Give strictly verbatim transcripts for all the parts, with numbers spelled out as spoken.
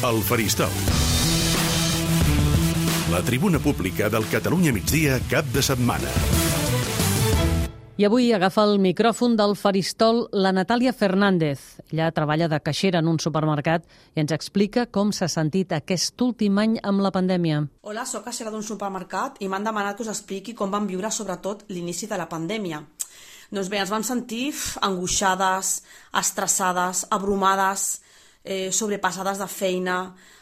El Faristol. La tribuna pública del Catalunya Migdia cap de setmana. I avui agafa el micròfon del Faristol la Natàlia Fernández. Ella treballa de caixera en un supermercat i ens explica com s'ha sentit aquest últim any amb la pandèmia. Hola, sóc caixera d'un supermercat i m'han demanat que us expliqui com vam viure sobretot l'inici de la pandèmia. Doncs bé, ens vam sentir angoixades, estressades, abrumades, eh, sobrepassades de feina,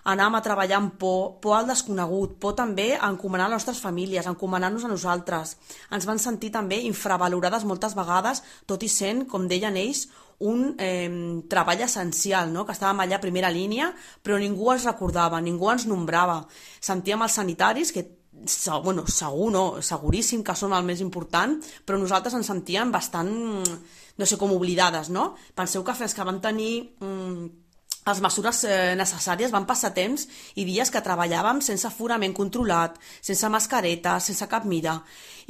anàvem a treballar amb por, por al desconegut, por també a encomanar les nostres famílies, a encomanar-nos a nosaltres. Ens van sentir també infravalorades moltes vegades, tot i sent, com deien ells, un eh, treball essencial, no? Que estàvem allà a primera línia, però ningú ens recordava, ningú ens nombrava. Sentíem els sanitaris, que bueno, segur no, seguríssim que són el més important, però nosaltres ens sentíem bastant, no sé, com oblidades, no? Penseu que fins que vam tenir mm, les mesures eh, necessàries van passar temps i dies que treballàvem sense aforament controlat, sense mascareta, sense cap mira.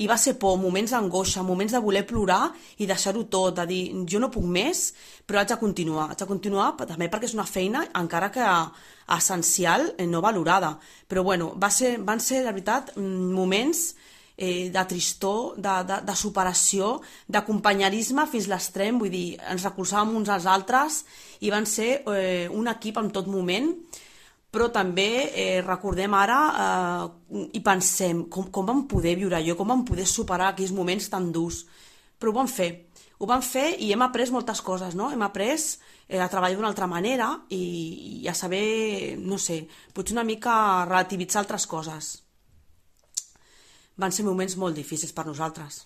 I va ser por, moments d'angoixa, moments de voler plorar i deixar-ho tot, de dir, jo no puc més, però haig de continuar. Haig de continuar també perquè és una feina, encara que essencial, no valorada. Però bueno, va ser, van ser, la veritat, moments eh, de tristor, de, de, de superació, d'acompanyarisme fins l'extrem, vull dir, ens recolzàvem uns als altres i van ser eh, un equip en tot moment, però també eh, recordem ara eh, i pensem com, com vam poder viure allò, com vam poder superar aquells moments tan durs. Però ho vam fer, ho vam fer i hem après moltes coses, no? Hem après eh, a treballar d'una altra manera i, i a saber, no sé, potser una mica relativitzar altres coses. Van ser moments molt difícils per nosaltres.